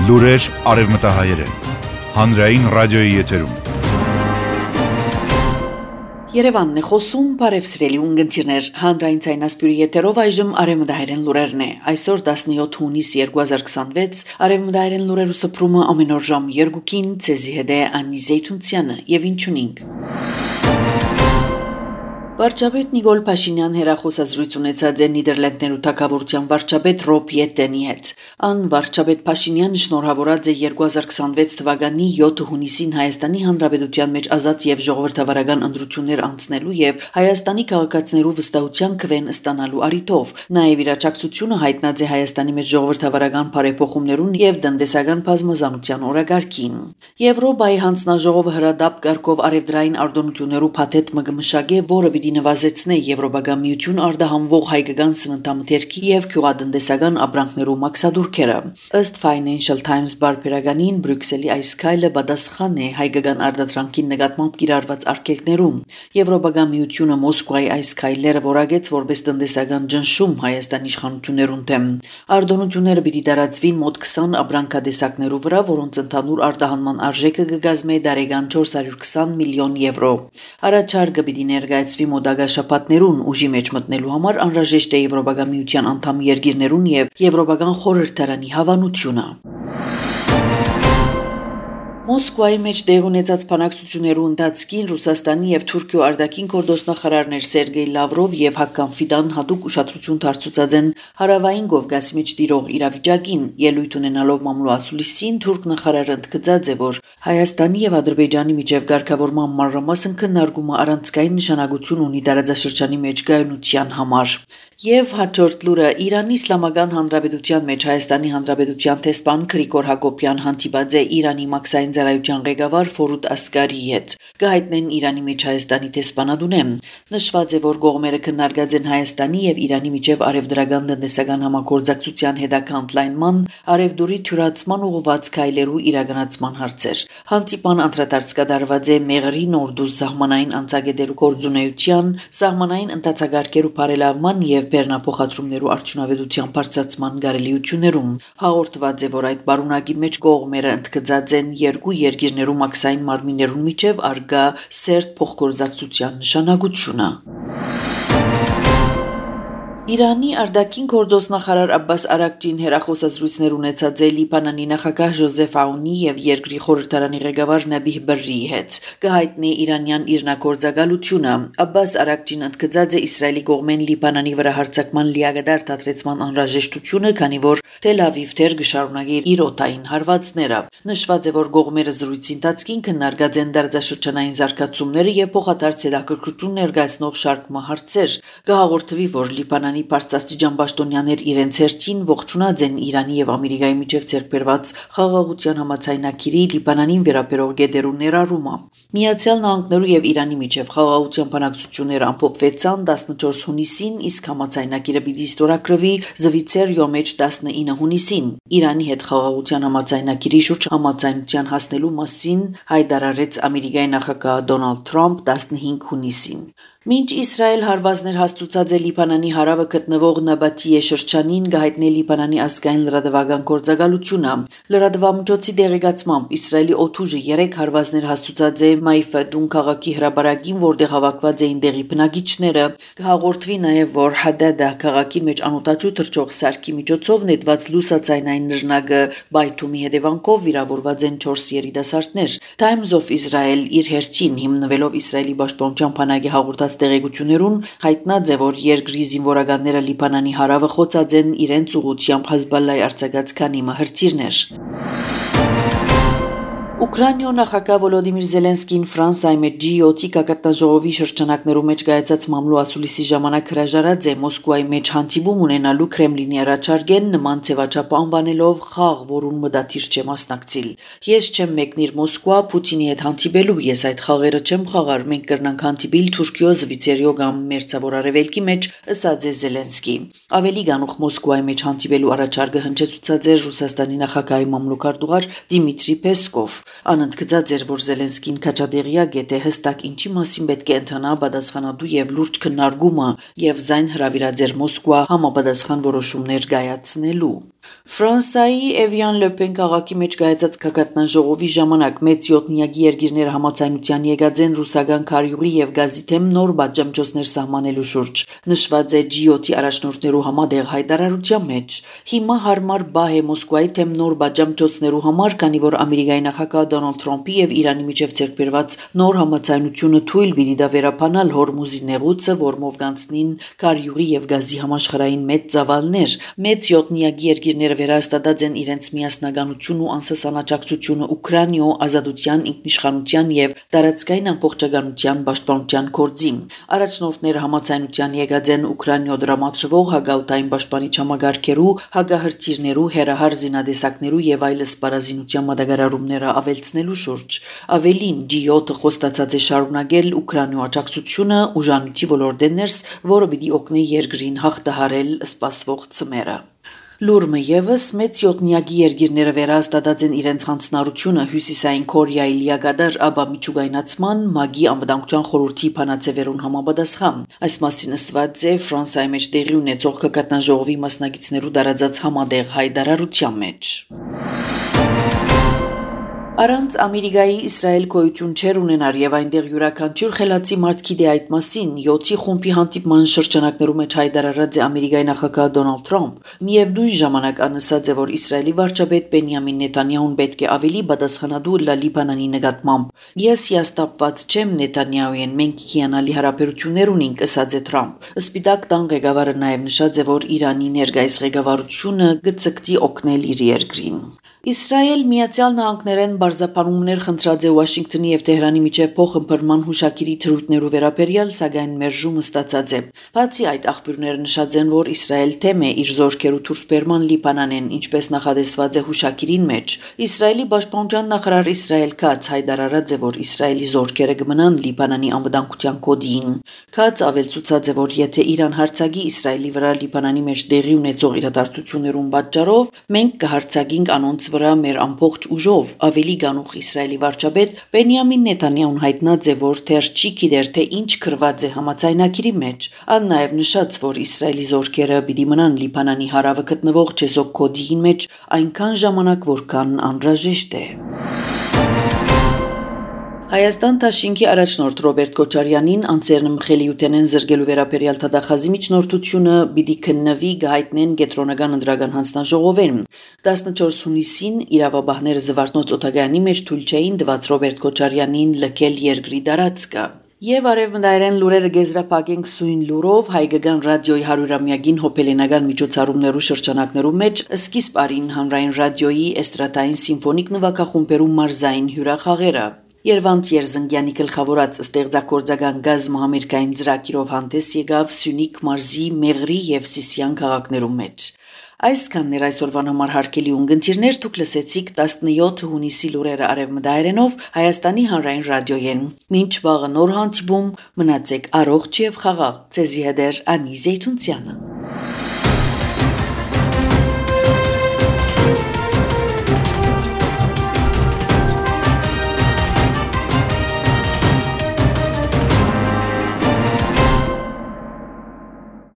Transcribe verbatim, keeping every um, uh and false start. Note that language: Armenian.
Լուրեր արևմտահայերեն, հանրային ռադիոյի եթերում։ Երևանն է խոսում, բարև սիրելի ունգընտիրներ, հանրային ցայնասպյուրի եթերով այժմ արևմտահայերեն լուրերն է։ Այսօր տասնյոթ հունիս երկու հազար քսանվեց, արևմտահայերեն լուրերու սփռումը ամեն օր ժամ երկուքին, ցեզի հետ է Անի Զեյթունցյանը, եւ ինչունինք։ Վարչապետ Նիկոլ Փաշինյան հեռախոսազրույց ունեցած է Նիդերլանդներու թագավորության վարչապետ Ռոբ Յետենի հետ։ Ան վարչապետ Փաշինյանը շնորհավորած է երկու հազար քսանվեց թվականի յոթ հունիսին Հայաստանի Հանրապետության մեջ ազատ եւ ժողովրդավարական ընտրություններ անցնելու եւ Հայաստանի քաղաքացիներու վստահության քվեն ստանալու առիթով։ Նաեւ իրաչակցությունը հայտնած է Հայաստանի մեջ ժողովրդավարական բարեփոխումներուն եւ տնտեսական բազմազանության օրագարկին։ Եվրոպայի հանձնաժողովը հրադապ կարգով արևդրային արտոնություններու փաթեթ մը կմշակե, որը պիտի նվազեցնե Եվրոպական միություն արտահանվող հայկական սննդամթերքի եւ գյուղատնտեսական ապրանքներու մաքսադուրքերը։ Ըստ Financial Times բարբերականին Բրյուսելի այս քայլը պատասխան է հայկական արտադրանքին նկատմամբ կիրառված արգելքներուն։ Եվրոպական միությունը Մոսկվայի այս քայլերը որակեց որպես տնտեսական ճնշում Հայաստանի իշխանություններուն դեմ։ Արտոնությունները պիտի տարածվին մոտ քսան ապրանքատեսակներու վրա, որոնց ընդհանուր արտահանման արժեքը կգազմե տարեկան չորս հարյուր քսան միլիոն եվրո։ Առաջարկը պիտի ներկայացվի մոդագա շաբաթներուն ուժի մեջ մտնելու համար անհրաժեշտ է Եվրոպական միության անդամ երկիրներուն եւ Եվրոպական խորհրդարանի հավանությունը։ Մոսկվայի մեջ տեղ ունեցած բանակցություններու ընթացքին Ռուսաստանի եւ Թուրքիո արտաքին գործնախարարներ Սերգեյ Լավրով եւ Հական Ֆիդան հատուկ ուշադրություն դարձուցած են հարավային Կովկասի մեջ տիրող իրավիճակին, ելույթ ունենալով մամլո ասուլիսին Թուրք նախարարը ընդգծած է, որ Հայաստանի եւ Ադրբեջանի միջև ղեկավարման մանրամասն քննարկումը առանցքային նշանակություն ունի տարածաշրջանի մեջ գայունության համար։ Եվ հաջորդ լուրը Իրանի Իսլամական Հանրապետության մեջ Հայաստանի Հանրապետության տեսփան Գրիգոր Հակոբյան հանդիպած է Իրանի մաքսային ծառայության ղեկավար Ֆորուդ Ասգարիի հետ։ Կհայտնեն Իրանի մեջ Հայաստանի տեսփանադունեմ։ Նշված է, որ կողմերը քննարկած են Հայաստանի եւ Իրանի միջև արևդրական տնտեսական համագործակցության հետագա ընդլայնման, արևդուրի թյուրացման ուղղված քայլերու իրականացման հարցեր։ Հանդիպան անդրադարձ կատարված է Մեղրի Նորդուզ սահմանային անցագետերու գործունեության, սահմանային ընթացագարկերու բարելավման եւ բեռնափոխադրումներու արդյունավետության բարձրացման կարելիություններում։ Հաղորդված է, որ այդ բարունակի մեջ կողմերը ընդգծած են երկու երկիրներու մաքսային մարմիններուն միջև արգա սերտ փոխգործակցության նշանակությունը։ Իրանի արտաքին գործոստնախարար Աբբաս Արաքչին հեռախոսազրույցներ ունեցած է Լիբանանի նախագահ Ժոզեֆ Աունի եւ երկրի խորհրդարանի ղեկավար Նաբիհ Բրրիի հետ։ Կհայտնի իրանյան իրնակորձակալությունը։ Աբբաս Արաքչին ընդգծած է Իսրայելի կողմեն Լիբանանի վրա հարձակման լիակատար դադրեցման անհրաժեշտությունը, քանի որ Թել Ավիվ դեռ կշարունակի իր օտային հարվածները։ Նշված է, որ կողմերը զրույցի ընթացքին քննարկած են դարձաշրջանային զարգացումները եւ փոխադարձ հետաքրքրություն ներկայացնող շարք հարցեր։ Կհաղորդվի, որ Լիբանանի բարձրաստիճան պաշտոնյաներ իրենց հերթին ողջունած են Իրանի եւ Ամերիկայի միջև ձեռքբերված խաղաղության համաձայնագիրի Լիբանանին վերաբերող գետերու ներառումը։ Միացյալ Նահանգներու եւ Իրանի միջև խաղաղության բանակցությունները ամփոփվեցան տասնչորս հունիսին, իսկ համաձայնագիրը պիտի ստորագրվի Զվիցերիո մեջ տասնինը հունիսին։ Իրանի հետ խաղաղության համաձայնագիրի շուրջ համաձայնության հասնելու մասին հայտարարեց Ամերիկայի նախագահ Դոնալդ Թրամփ տասնհինգ հունիսին։ Մինչ Իսրայել հարվածներ հաստուցած է Լիբանանի հարավը գտնվող Նաբաթիե շրջանին, կհայտնի Լիբանանի ազգային լրատվական գործակալությունը։ Լրատվամիջոցի դեղեկացմամբ Իսրայելի օդուժը երեք հարվածներ հաստուցած է Մայֆադուն քաղաքի հրապարակին, որտեղ հավաքված էին տեղի բնակիչները։ Կհաղորդվի նաև, որ Հադադա քաղաքի մեջ անօտաչու թռչող սարքի միջոցով նետված լուսացայնային նռնակը բայթումի հետևանքով վիրավորված են չորս երիտասարդներ։ Times of Israel իր հերթին հիմնվելով Իսրայելի պաշտպանության բանակի հաղորդած տեղեկություններուն հայտնած է, որ երկրի զինվորականները Լիբանանի հարավը խոցած են իրենց ուղղությամբ Հեզբոլլայի արձակած քանի հրթիռներ։ Ուկրաինայո նախագահ Վոլոդիմիր Զելենսկին Ֆրանսիայի մեջ Ջի յոթ կակատնաժողովի շրջանակներու մեջ կայացած մամլո ասուլիսի ժամանակ հրաժարած է Մոսկվայի մեջ հանդիպում ունենալու Կրեմլինի առաջարկեն նման ձևաչափ անվանելով խաղ, որուն մտադիր չէ մասնակցիլ։ Ես չեմ մեկնիր Մոսկվա Պուտինի հետ հանդիպելու, ես այդ խաղերը չեմ խաղար, մենք կրնանք հանդիպիլ Թուրքիո, Զվիցերիո կամ Մերձավոր Արևելքի մեջ, ըսած է Զելենսկի։ Ավելի գանուխ Մոսկվայի մեջ հանդիպելու առաջարկը հնչեցուցած էր Ռուսաստանի նախագահի մամլոքարտուղար Դիմիտրի Պեսկով։ Անընդգծած էր, որ Զելենսկին քաջադեղյակ է, թե հստակ ինչի մասին պետք է ընթանա պատասխանատու եւ լուրջ քննարկումը եւ զայն հրավիրած էր Մոսկվա համապատասխան որոշումներ կայացնելու։ Ֆրանսիայի Էվիան Լոպեն քաղաքի մեջ կայացած քակատնաժողովի ժամանակ մեծ յոթնյակի երկիրները համաձայնության եկած են ռուսական քարյուղի եւ գազի թեմ նոր բաժամիջոցներ սահմանելու շուրջ, նշված է Ջի յոթի առաջնորդներու համատեղ հայտարարության մեջ։ Հիմա հարմար բահ է Մոսկվայի թեմ նոր բաժամիջոցներու համար, քանի որ Ամերիկայի նախագահ Դոնալդ Թրամփի եւ Իրանի միջև ձեռքբերված նոր համաձայնությունը թույլ պիտի դա վերապանալ Հորմուզի նեղուցը, որմով կանցնին քարյուղի եւ գազի համաշխարհային մեծ ծավալներ։ Մեծ յոթնյակի երկիրները վերահաստատած են իրենց միասնականություն ու անսասանաճակցությունը Ուկրաինայո ազատության, ինքնիշխանության եւ տարածքային ամբողջականության պաշտպանության գործին։ Առաջնորդները համաձայնության եկած են Ուկրաինայո դրամատրվող հագաուտային պաշտպանիչ համագարկերու, հագահրթիռներու, հերահար զինադեսակներու եւ այլս պարազինության մատակարարումները ավելցնելու շուրջ։ Ավելին Ջի յոթը խոստացած է շարունակել Ուկրաինայո աջակցությունը ուժանույթի ոլորտեն ներս, որը պիտի օգնի երկրին հաղթահարել սպասվող ցմերը։ Լուրմը եւս մեծ յոթնյակի երկիրները վերահաստատած են իրենց հանձնառությունը Հյուսիսային Կորեայի լիակատար աբա միջուկայնացման ՄԱԳ-ի անվտանգության խորհրդի փանացեվերուն համապատասխան։ Այս մասին ասված է Ֆրանսիայի մեջ տեղի ունեցող քակատնաժողովի մասնակիցներու դարածած համատեղ հայտարարության մեջ։ Առանց Ամերիկայի Իսրայել գոյություն չեր ունենար եւ այնտեղ յուրաքանչյուր խելացի մարդ գիտե այդ մասին։ յոթի խումբի հանդիպման շրջանակներու մեջ հայտարարած է Ամերիկայի նախագահ Դոնալդ Թրամփ։ Միևնույն ժամանակ անասած է, որ Իսրայելի վարչապետ Բենյամին Նեթանյահուն պետք է ավելի պատասխանատու լա Լիբանանի նկատմամբ։ Ես հիասթափված չեմ Նեթանյահուին, մենք հիանալի հարաբերություններ ունենք, ասաց է Թրամփ։ Սպիտակ տան ղեկավարը նաեւ նշած է, որ Իրանի ներկայիս ղեկավարությունը կցկտի օգնել իր երկրին։ Իսրայել Միացյալ Նահանգներեն բարձրապանումներ խնդրած է Վաշինգտոնի եւ Թեհրանի միջև փոխըմբռնման հուշակիրի թրույթներու վերաբերյալ, սակայն մերժումը ստացած է։ Բացի այդ, աղբյուրները նշած են, որ Իսրայել թեմ է իր զորքերու դուրսբերման Լիբանանեն, ինչպես նախադեсված է հուշակիրին մեջ։ Իսրայելի պաշտպանության նախարար Իսրայել Քաց հայտարարած է, որ Իսրայելի զորքերը կմնան Լիբանանի անվտանգության կոդին։ Քաց ավելցուցած է, որ եթե Իրան հարձակի Իսրայելի վրա Լիբանանի մեջ տեղի ունեցող իրադարձություններուն պատճառով, մենք կհարձակենք անոնց վրա մեր ամբողջ ուժով։ Ավելի գանուխ Իսրայելի վարչապետ Բենյամին Նեթանյահուն հայտնած է, որ թեր չի գիտեր, թե ինչ գրված է համաձայնագիրի մեջ։ Ան նաև նշած, որ Իսրայելի զորքերը պիտի մնան Լիբանանի հարավը գտնվող Չեսոկ կոդիին մեջ այնքան ժամանակ, որքան անհրաժեշտ է։ Հայաստան Դաշինքի առաջնորդ Ռոբերտ Քոչարյանին անձերն մխելիութենեն զրկելու վերաբերյալ թադախազի միջնորդությունը պիտի քննվի գահիտնեն կենտրոնական ընդրական հանձնաժողովեն։ տասնչորս հունիսին իրավաբանները Զվարթնոց օթագայանի մեջ թույլ չէին տված Ռոբերտ Քոչարյանին լքել երկրի տարածքը։ Եվ արևմտայրեն լուրերը գեզրափակենք սույն լուրով հայկական ռադիոյի հարյուրամյակին հոբելենական միջոցառումներու շրջանակներու մեջ սկիզբ արին հանրային ռադիոյի էստրադային սիմֆոնիկ նվագախումբերու մարզային հյուրախաղերը։ Երվանդ Երզնգյանի գլխավորած ստեղծագործական գազը համերգային ծրագիրով հանդես եկավ Սյունիք մարզի Մեղրի եւ Սիսիան քաղաքներու մեջ։ Այսքանն էր այսօրվան համար հարգելի ունգընտիրներ, դուք լսեցիք տասնյոթ հունիսի լուրերը արևմտայրենով Հայաստանի հանրային ռադիոյեն։ Մինչ վաղը նոր հանդիպում, մնացեք առողջ եւ խաղաղ։ Ձեզի հետ է Անի Զեյթունցյանը։